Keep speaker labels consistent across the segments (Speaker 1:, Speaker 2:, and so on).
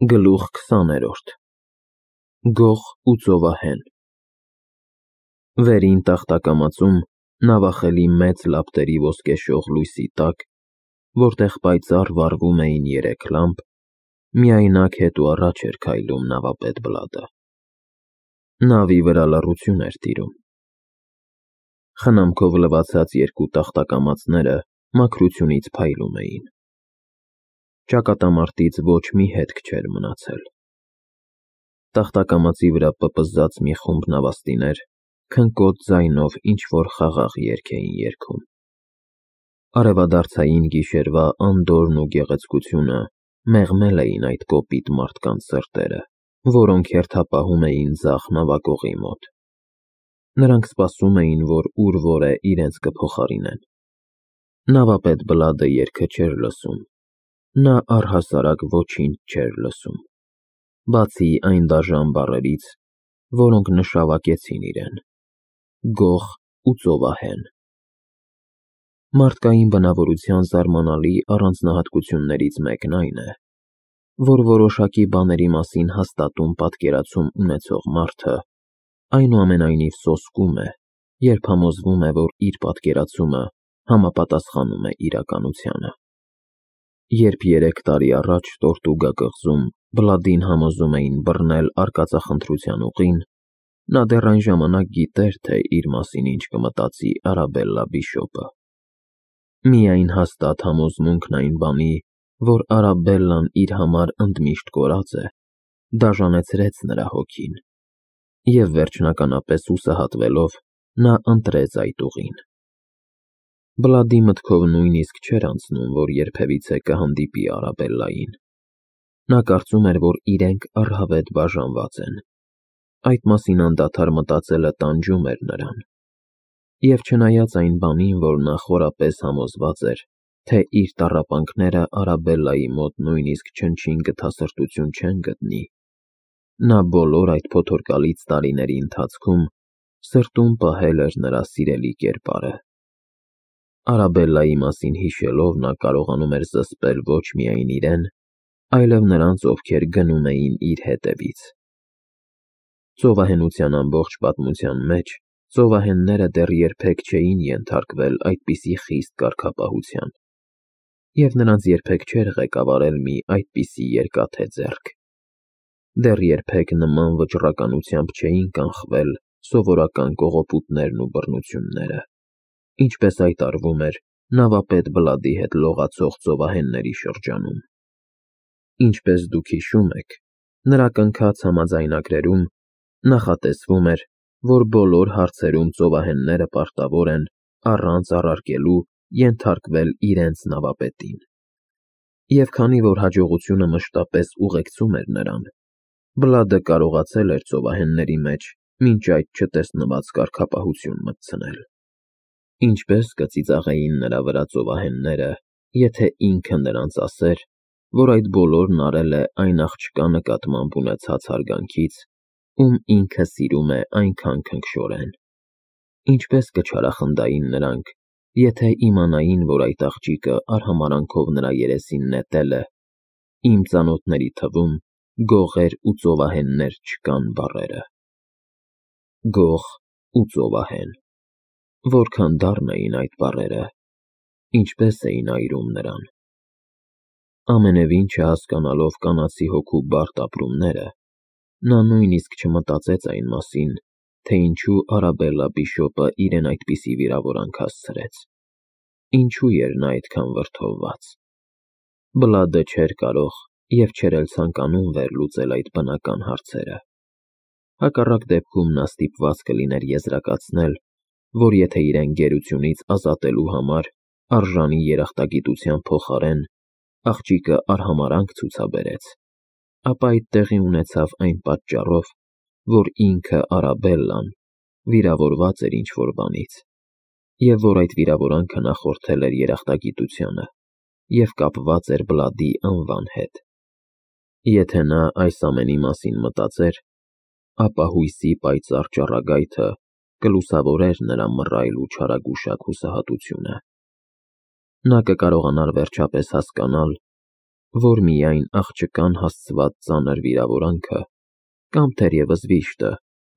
Speaker 1: Գլուխ 20-րդ Գող ու ծովահեն Վերին տախտակամածում նավախելի մեծ լապտերի ոսկեշող լույսի տակ, որտեղ պայծառ վառվում էին երեք լամպ, միայնակ հետ ու առաջ էր քայլում նավապետ Բլադը։ Նավի վրա լռություն էր տիրում։ Խնամքով լվացած երկու տախտակամածները մաքրությունից փայլում էին։ Ճակատամարտից ոչ մի հետք չէր մնացել։ Տախտակամածի վրա պպզած մի խումբ նավաստիներ քնկոտ ձայնով ինչ-որ խաղաղ երգ էին երգում։ Արևադարձային գիշերվա անդորրն ու գեղեցկությունը մեղմել էին այդ կոպիտ մարդկանց սրտերը, որոնք հերթապահում էին ձախ նավակողի մոտ։ Նրանք սպասում էին, որ ուր-որ է իրենց կփոխարինեն։ Նավապետ Բլադը երգը չէր լսում։ Նա առհասարակ ոչինչ չէր լսում, բացի այն դաժան բառերից, որոնք նշավակեցին իրեն. գող ու ծովահեն։ Մարդկային բնավորության զարմանալի առանձնահատկություններից մեկն այն է, որ որոշակի բաների մասին հաստատուն պատկերացում ունեցող մարդը այնուամենայնիվ սոսկում է, երբ համոզվում է, որ իր պատկերացումը համապատասխանում է իրականությանը։ Երբ 3 տարի առաջ Տորտուգա կղզում Բլադին համոզում էին բռնել արկածախնդրության ուղին, նա դեռ այն ժամանակ գիտեր, թե իր մասին ինչ կմտածի Արաբելլա բիշոպը։ Միայն հաստատ համոզմունքն այն բանի, որ Արաբելլան իր համար ընդմիշտ կորած է, դաժանեցրեց նրա հոգին, և վերջնականապես հուսահատվելով, նա ընտրեց այդ ուղին։ Բլադի մտքով նույնիսկ չէր անցնում, որ երբևիցե կհանդիպի Արաբելլային։ Նա կարծում էր, որ իրենք առհավետ բաժանված են։ Այդ մասին անդադար մտածելը տանջում էր նրան։ Եվ չնայած այն բանին, որ նա խորապես համոզված էր, թե իր տառապանքները Արաբելլայի մոտ նույնիսկ չնչին գթասրտություն չեն գտնի, նա բոլոր այդ փոթորկալից տարիների ընթացքում սրտում պահել էր նրա սիրելի կերպարը։ Արաբելլայի մասին հիշելով, նա կարողանում էր զսպել ոչ միայն իրեն, այլև նրանց, ովքեր գնում էին իր հետևից։ Ծովահենության ամբողջ պատմության մեջ ծովահենները դեռ երբեք չէին ենթարկվել այդպիսի խիստ կարգապահության, և նրանց երբեք չէր ղեկավարել մի այդպիսի երկաթե ձեռք։ Դեռ երբեք նման վճռականությամբ չէին կանխվել սովորական կողոպուտներն ու բռնությունները, ինչպես այդ արվում էր նավապետ Բլադի հետ լողացող ծովահենների շրջանում։ Ինչպես դուք հիշում եք, նրա կնքած համաձայնագրերում նախատեսվում էր, որ բոլոր հարցերում ծովահենները պարտավոր են առանց առարկելու ենթարկվել իրենց նավապետին։ Եվ քանի որ հաջողությունը մշտապես ուղեկցում էր նրան, Բլադը կարողացել էր ծովահենների մեջ մինչ այդ չտեսնված կարգապահություն մտցնել։ Ինչպես կծիծաղեին նրա վրա ծովահենները, եթե ինքը նրանց ասեր, որ այդ բոլորն արել է այն աղջկա նկատմամբ ունեցած հարգանքից, ում ինքը սիրում է այնքան քնքշորեն։ Ինչպես կչարախնդային նրանք, եթե իմանային, որ այդ աղջիկը արհամարհանքով նրա երեսին նետել է «Իմ ծանոթների թվում գողեր ու ծովահեններ չկան» բառերը։ Գող ու ծովահեն։ Որքան դառն էին այդ բառերը, ինչպես էին այրում նրան։ Ամենևին չհասկանալով կանացի հոգու բարդ ապրումները, նա նույնիսկ չմտածեց այն մասին, թե ինչու Արաբելլա բիշոպը իրեն այդպիսի վիրավորանք հասցրեց։ Ինչու էր նա այդքան վրդովված։ Բլադը չէր կարող և չէր էլ ցանկանում վերլուծել այդ բնական հարցերը։ Հակառակ դեպքում նա ստիպված կլիներ եզրակացնել, որ եթե իրեն գերությունից ազատելու համար արժանի երախտագիտության փոխարեն աղջիկը արհամարհանք ցուցաբերեց, ապա այդ տեղի ունեցավ այն պատճառով, որ ինքը Արաբելլան վիրավորված էր ինչ-որ բանից, և որ այդ վիրավորանքը նախորդել էր երախտագիտությանը և կապված էր Բլադի անվան հետ։ Եթե նա այս ամենի մասին մտածեր, ապա հույսի պայծառ ճառագայթը կլուսավորեր նրա մռայլ ու չարագուշակ հուսահատությունը։ Նա կկարողանար վերջապես հասկանալ, որ միայն աղջկան հասցված ծանր վիրավորանքը, կամ թերևս վիշտը,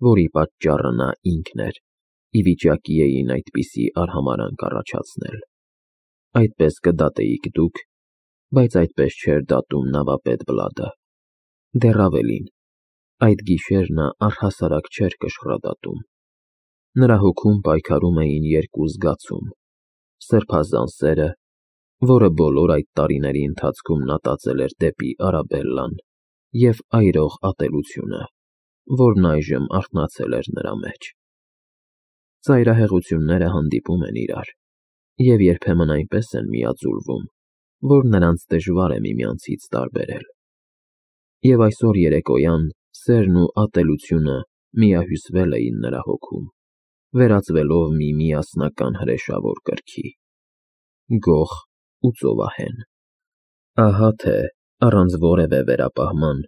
Speaker 1: որի պատճառը նա ինքն էր, ի վիճակի էին այդպիսի արհամարհանք առաջացնել։ Այդպես կդատեիք դուք, բայց այդպես չէր դատում նավապետ Բլադը։ Դեռ ավելին, այդ գիշեր նա առհասարակ չէր կշռադատում։ Նրա հոգում պայքարում էին երկու զգացում՝ սրբազան սերը, որը բոլոր այդ տարիների ընթացքում նա տածել էր դեպի Արաբելլան, և այրող ատելությունը, որն այժմ արթնացել էր նրա մեջ։ Ծայրահեղությունները հանդիպում են իրար, և երբեմն այնպես են միաձուլվում, որ նրանց դժվար է միմյանցից տարբերել։ Եվ այսօր երեկոյան սերն ու ատելությունը միահյուսվել էին նրա հոգում, վերածվելով մի միասնական հրեշավոր կրքի՝ գող ու ծովահեն։ Ահա թե առանց որևէ վերապահման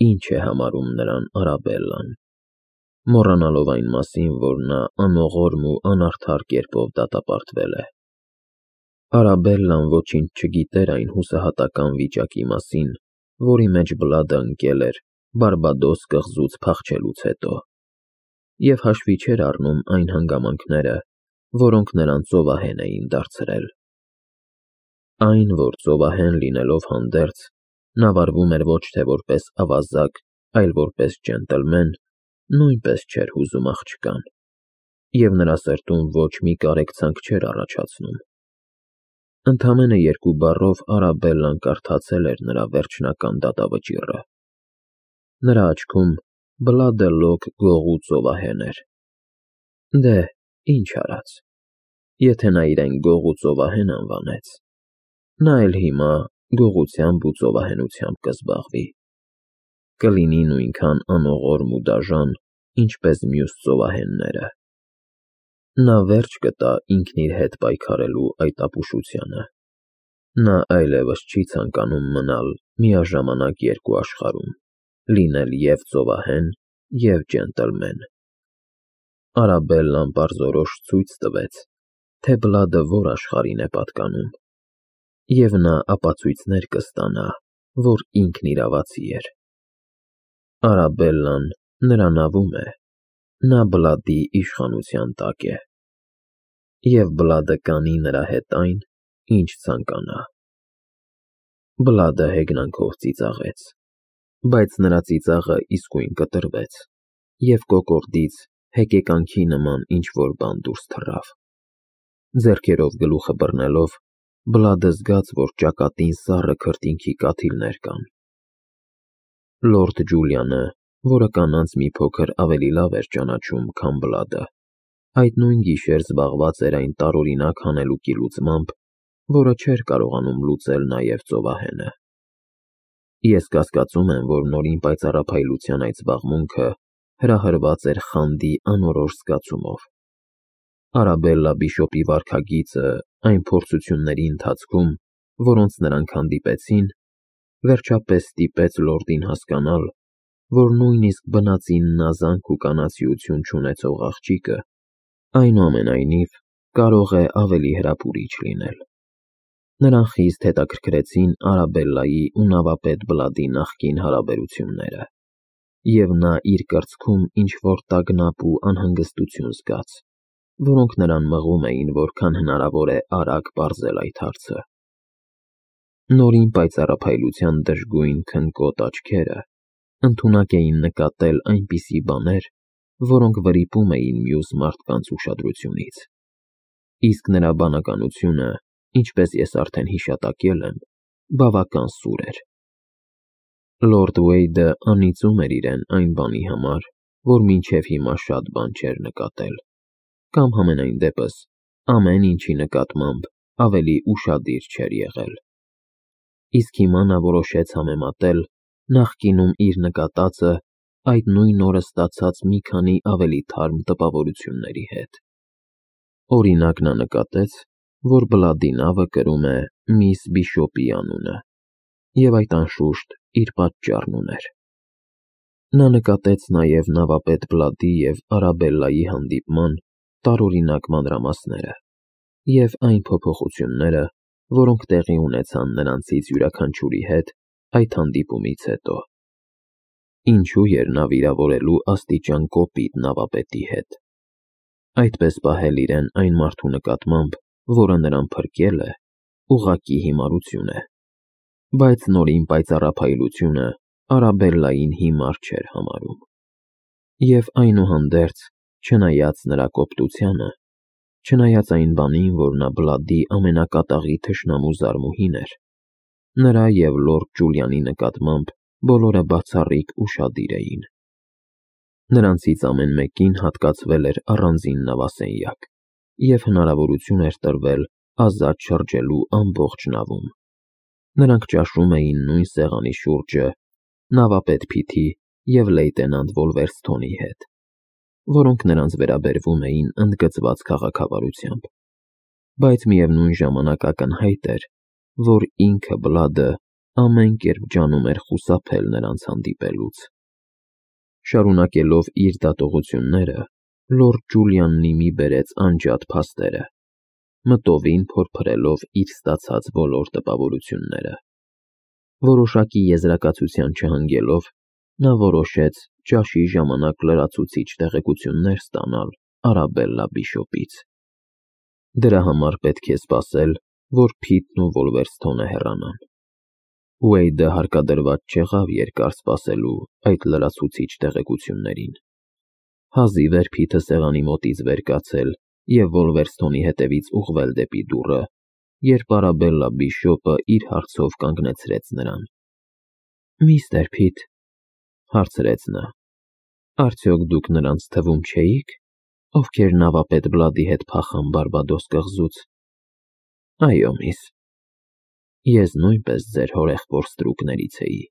Speaker 1: ինչ է համարում նրան Արաբելլան, մոռանալով այն մասին, որ նա անողորմ ու անարդար կերպով դատապարտվել է։ Արաբելլան ոչինչ չգիտեր այն հուսահատական վիճակի մասին, որի մեջ Բլադը ընկել էր Բարբադոս կղզուց փախչելուց հետո, և հաշվի չէր առնում այն հանգամանքները, որոնք նրան ծովահեն էին դարձրել։ Այն, որ ծովահեն լինելով հանդերձ, նա վարվում էր ոչ թե որպես ավազակ, այլ որպես ջենտլմեն, նույնպես չէր հուզում աղջկան, և նրա սրտում ոչ մի կարեկցանք չէր առաջացնում։ Ընդամենը երկու բառով Արաբելլան կարդացել էր նրա վերջնական դատավճիռը։ Նրա աչքում Բլադը լոկ գող ու ծովահեն էր։ Դե, ինչ արած, եթե նա իրեն գող ու ծովահեն անվանեց, նա էլ հիմա գողությամբ ու ծովահենությամբ կզբաղվի, կլինի նույնքան անողորմ ու դաժան, ինչպես մյուս ծովահենները։ Նա վերջ կտա ինքն իր հետ պայքարելու այդ ապուշությանը։ Նա այլևս չի ցանկանում մնալ միաժամանակ երկու աշխարհում, լինել և ծովահեն, և ջենտլմեն։ Արաբելլան պարզորոշ ցույց տվեց, թե Բլադը որ աշխարհին է պատկանում, և նա ապացույցներ կստանա, որ ինքն իրավացի էր։ Արաբելլան նրա նավում է, նա Բլադի իշխանության տակ է, և Բլադը կանի նրա հետ այն, ինչ ցանկանա։ Բլադը հեգնանքով ծիծաղեց, բայց նրա ծիծաղը իսկույն կտրվեց, և կոկորդից հեկեկանքի նման ինչ-որ բան դուրս թռավ։ Ձեռքերով գլուխը բռնելով, Բլադը զգաց, որ ճակատին սառը քրտինքի կաթիլներ կան։ Լորդ Ջուլիանը, որը կանանց մի փոքր ավելի լավ էր ճանաչում, քան Բլադը, այդ նույն գիշեր զբաղված էր այն տարօրինակ հանելուկի լուծմամբ, որը չէր կարողանում լուծել նաև ծովահենը։ Ես կասկածում եմ, որ Նորին պայծառափայլության այդ զբաղմունքը հրահրված էր խանդի անորոշ զգացումով։ Արաբելլա բիշոպի վարքագիծը այն փորձությունների ընթացքում, որոնց նրանք հանդիպեցին, վերջապես ստիպեց լորդին հասկանալ, որ նույնիսկ բնածին նազանք ու կանացիություն չունեցող աղջիկը այնուամենայնիվ կարող է ավելի հրապուրիչ լինել։ Նրան խիստ հետաքրքրեցին Արաբելլայի ու նավապետ Բլադի նախկին հարաբերությունները, և նա իր կրծքում ինչ-որ տագնապ ու անհանգստություն զգաց, որոնք նրան մղում էին որքան հնարավոր է արագ պարզել այդ հարցը։ Նորին պայծառափայլության դժգույն քնկոտ աչքերը ընդունակ էին նկատել այնպիսի բաներ, որոնք վրիպում էին մյուս մարդկանց ուշադրությունից, իսկ նրա բանականությունը, ինչպես ես արդեն հիշատակել եմ, բավական սուր էր։ Լորդ Ուեյդը անիծում էր իրեն այն բանի համար, որ մինչև հիմա շատ բան չէր նկատել, կամ համենայն դեպս ամեն ինչի նկատմամբ ավելի ուշադիր չէր եղել։ Իսկ հիմա նա որոշեց համեմատել նախկինում իր նկատածը այդ նույն օրը ստացած մի քանի ավելի թարմ տպավորությունների հետ։ Օրինակ, նա նկատեց, որ Բլադի նավը կրում է Միս Բիշոպի անունը, և այդ անշուշտ իր պատճառն ուներ։ Նա նկատեց նաև նավապետ Բլադի և Արաբելլայի հանդիպման տարօրինակ մանրամասները և այն փոփոխությունները, որոնք տեղի ունեցան նրանցից յուրաքանչյուրի հետ այդ հանդիպումից հետո։ Ինչու էր նա վիրավորելու աստիճան կոպիտ նավապետի հետ։ Այդպես պահել իրեն այն մարդու նկատմամբ, որը նրան փրկել է, ուղղակի հիմարություն է։ Բայց նորին պայծառափայլությունը Արաբելլային հիմար չէր համարում։ Եվ այնուհանդերձ, չնայած նրա կոպտությանը, չնայած այն բանին, որ նա Բլադի ամենակատաղի թշնամու զարմուհին էր, նրա և լորդ Ջուլիանի նկատմամբ բոլորը բացառիկ ուշադիր էին։ Նրանցից ամեն մեկին հատկացվել էր առանձին նավասենյակ, և հնարավորություն էր տրվել ազատ շրջելու ամբողջ նավում։ Նրանք ճաշում էին նույն սեղանի շուրջը նավապետ Փիթի և լեյտենանտ Վոլվերսթոնի հետ, որոնք նրանց վերաբերվում էին ընդգծված քաղաքավարությամբ, բայց միևնույն ժամանակ ակնհայտ էր, որ ինքը Բլադը ամեն կերպ ջանում էր խուսափել նրանց հանդիպելուց։ Շարունակելով իր դատողությունները, լորդ Ջուլիանն ի մի բերեց անջատ փաստերը, մտովին փորփրելով իր ստացած բոլոր տպավորությունները։ Որոշակի եզրակացության չհանգելով, նա որոշեց ճաշի ժամանակ լրացուցիչ տեղեկություններ ստանալ Արաբելլա Բիշոպից։ Դրա համար պետք է սպասել, որ Փիթն ու Վոլվերսթոնը հեռանան։ Ուեյդը հարկադրված չեղավ երկար սպասելու այդ լրացուցիչ տեղեկություններին։ Հազիվ էր Փիթը սեղանի մոտից վեր կացել և Վոլվերսթոնի հետևից ուղղվել դեպի դուռը, երբ Արաբելլա Բիշոպը իր հարցով կանգնեցրեց նրան։ «Միստր Փիթ», հարցրեց նա, «արդյոք դուք նրանց թվում չէիք, ովքեր նավապետ Բլադի հետ փախան Բարբադոս կղզուց»։ «Այո, միս, ես նույնպես ձեր հորեղբոր ստրուկներից էի»։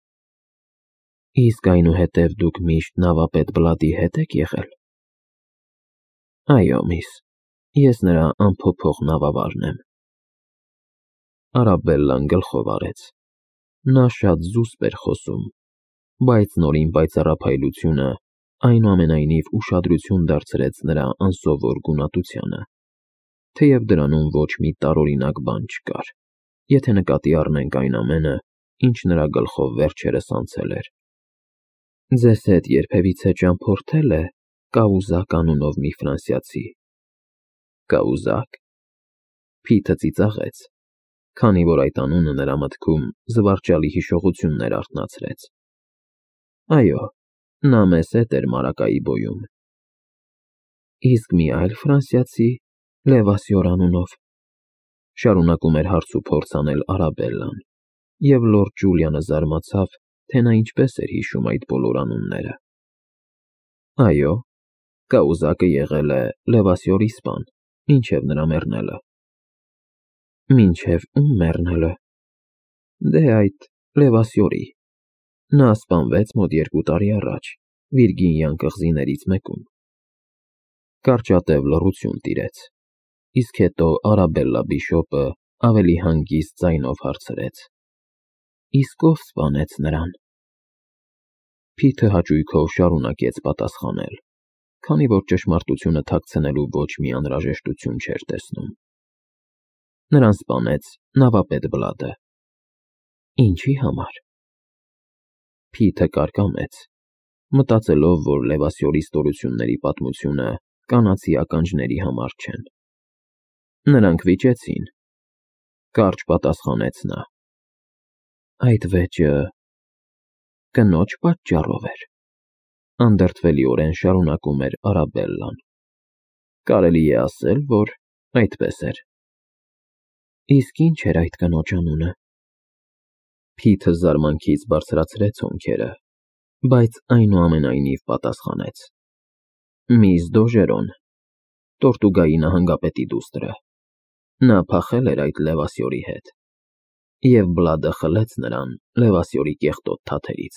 Speaker 1: «Իսկ այնուհետև դուք միշտ նավապետ Բլադի հետ եք եղել»։ «Այո, միս, ես նրա անփոփոխ նավավարն եմ»։ Արաբելլան գլխով արեց։ Նա շատ զուսպ էր խոսում, բայց նորին պայծառափայլությունը այնուամենայնիվ ուշադրություն դարձրեց նրա անսովոր գունատությանը, թեև դրանում ոչ մի տարօրինակ բան չկար, եթե նկատի առնենք այն ամենը, ինչ նրա գլխով վերջերս անցել էր։ «Ձեզ հետ երբևիցե ճամփորդե՞լ է Կաուզակ անունով մի ֆրանսիացի»։ «Կաուզակ»։ Փիթը ծիծաղեց, քանի որ այդ անունը նրա մտքում զվարճալի հիշողություններ արթնացրեց։ «Այո, նա մեզ հետ էր Մարակայի բոյում»։ «Իսկ մի այլ ֆրանսիացի, Լևասյոր անունով»։ Շարունակում էր հարց ու փորձ անել Արաբելլան, և լորդ Ջուլիանը զարմացավ, թե նա ինչպես էր հիշում այդ բոլոր անունները։ «Այո, Կաուզակը եղել է Լևասյորի սպան, մինչև նրա մեռնելը»։ «Մինչև ում մեռնելը»։ «Դե այդ Լևասյորի։ Նա սպանվեց մոտ 2 տարի առաջ Վիրգինիան կղզիներից մեկում»։ Կարճատև լռություն տիրեց, իսկ հետո Արաբելլա Բիշոպը ավելի հանգիստ ձայնով հարցրեց. «Իսկ ով սպանեց նրան»։ Փիթը հաճույքով շարունակեց պատասխանել, քանի որ ճշմարտությունը թաքցնելու ոչ մի անհրաժեշտություն չէր տեսնում։ Նրան սպանեց նավապետ Բլադը։ Ինչի համար։ Փիթը կարկամեց, մտածելով, որ Լևասյորի ստորությունների պատմությունը կանացի ականջների համար չեն։ Նրանք վիճեցին, կարճ պատասխանեց նա։ Այդ վեճը կնոջ պատճառով էր, անդրդվելիորեն շարունակում էր Արաբելլան։ Կարելի է ասել, որ այդպես էր։ Իսկ ինչ էր այդ կնոջ անունը։ Փիթը զարմանքից բարձրացրեց հոնքերը, բայց այնուամենայնիվ պատասխանեց. Միss Դոժերոն, Տորտուգայի նահանգապետի դուստրը։ Նա փախել էր այդ Լևասյորի հետ, և Բլադը խլեց նրան Լևասյորի կեղտոտ թաթերից։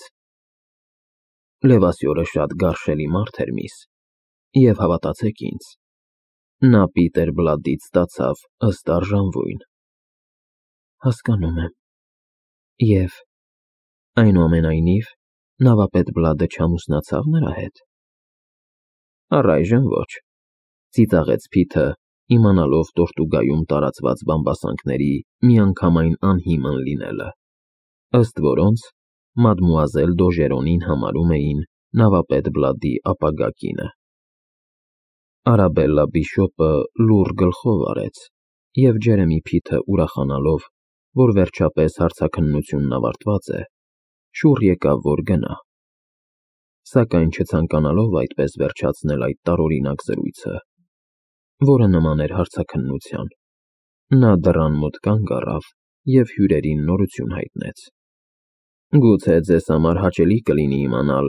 Speaker 1: Լևասյորը շատ գարշելի մարդ էր, միս, և հավատացեք ինձ, նա Պիտեր Բլադից ստացավ ըստ արժանվույն։ Հասկանում եմ։ Եվ այնուամենայնիվ նավապետ Բլադը չամուսնացավ նրա հետ։ Առայժմ ոչ, ծիծաղեց Փիթը, իմանալով Տորտուգայում տարածված բամբասանքների միանգամայն անհիմն լինելը, ըստ որոնց մադմուազել Դոժերոնին համարում էին նավապետ Բլադի ապագա կինը։ Արաբելլա Բիշոպը լուռ գլխով արեց, և Ջերեմի Փիթը ուրախանալով, որ վերջապես հարցաքննությունն ավարտված է, շուռ եկավ, որ գնա։ Սակայն չցանկանալով այդպես վերջացնել այդ տարօրինակ զրույցը, որը նման էր հարցաքննության, նա դռան մոտ կանգ առավ և հյուրերին նորություն հայտնեց. «Գուցե ձեզ համար հաճելի կլինի իմանալ,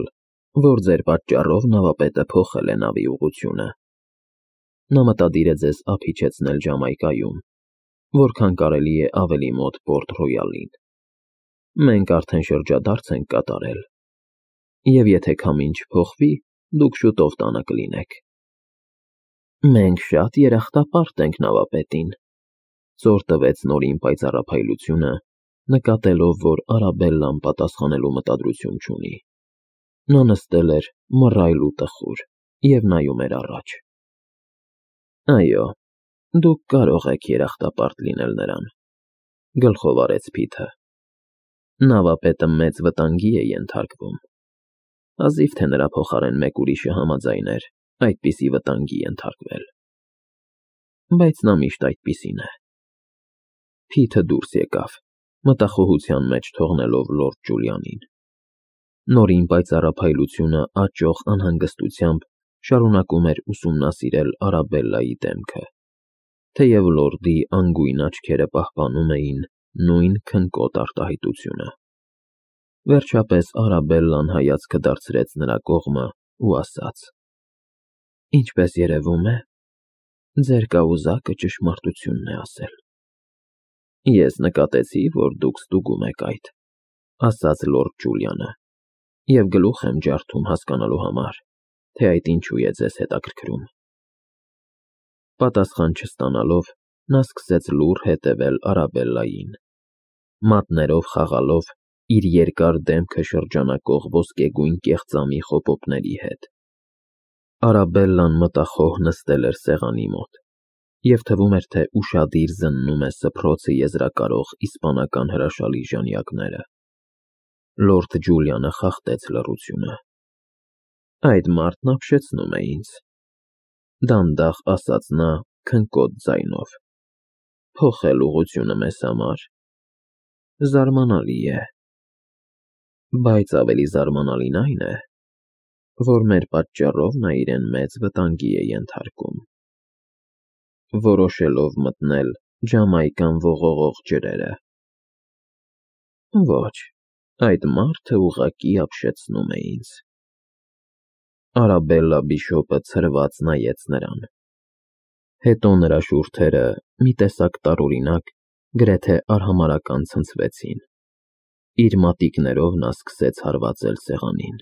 Speaker 1: որ ձեր պատճառով նավապետը փոխել է նավի ուղղությունը։ Նա մտադիր է ձեզ ափ իջեցնել Ջամայկայում, որքան կարելի է ավելի մոտ Պորտ Ռոյալին։ Մենք արդեն շրջադարձ ենք կատարել, և եթե քամին չփոխվի, դուք շուտով տանը կլինեք»։ «Մենք շատ երախտապարտ ենք նավապետին», ծոր տվեց Նորին պայծառափայլությունը, նկատելով, որ Արաբելլան պատասխանելու մտադրություն չունի։ Նա նստել էր մռայլ ու տխուր և նայում էր առաջ։ «Այո, դուք կարող եք երախտապարտ լինել նրան», գլխով արեց Փիթը։ «Նավապետը մեծ վտանգի է ենթարկվում։ Հազիվ թե նրա փոխարեն մեկ ուրիշը համաձայն էր այդպիսի վտանգի ենթարկվել։ Բայց նա միշտ այդպիսին է»։ Փիթը դուրս եկավ, մտախոհության մեջ թողնելով լորդ Ջուլիանին։ Նորին պայծառափայլությունը աճող անհանգստությամբ շարունակում էր ուսումնասիրել Արաբելլայի դեմքը, թեև լորդի անգույն աչքերը պահպանում էին նույն քնկոտ արտահայտությունը։ Վերջապես Արաբելլան հայացքը դարձրեց նրա կողմը ու ասաց. «Ինչպես երևում է, ձեր կաուզակը ճշմարտությունն է ասել»։ «Ես նկատեցի, որ դուք ստուգում եք այդ», ասաց լորդ Ջուլիանը, «և գլուխ եմ ջարդում հասկանալու համար, թե այդ ինչու է ձեզ հետաքրքրում»։ Պատասխան չստանալով, նա սկսեց լուռ հետևել Արաբելլային, մատներով խաղալով իր երկար դեմքը շրջանակող ոսկեգույն կեղծամի խոպոպների հետ։ Արաբելլան մտախոհ նստել էր սեղանի մոտ, և թվում էր, թե ուշադիր զննում է սփռոցը եզրակարող իսպանական հրաշալի ժանյակները։ Լորդ Ջուլիանը խախտեց լռությունը։ «Այդ մարդն ապշեցնում է ինձ», դանդաղ ասաց նա քնկոտ ձայնով։ «Փոխել ուղղությունը մեզ համար զարմանալի է։ Բայց ավելի զարմանալին այն է, որ մեր պատճառով նա իրեն մեծ վտանգի է ենթարկում, որոշելով մտնել Ջամայկան ողողող ջրերը։ Ոչ, այդ մարդը ուղղակի ապշեցնում է ինձ»։ Արաբելլա Բիշոպը ցրված նայեց նրան։ Հետո նրա շուրթերը մի տեսակ տարօրինակ, գրեթե արհամարհական ցնցվեցին։ Իր մատիկներով նա սկսեց հարվածել սեղանին։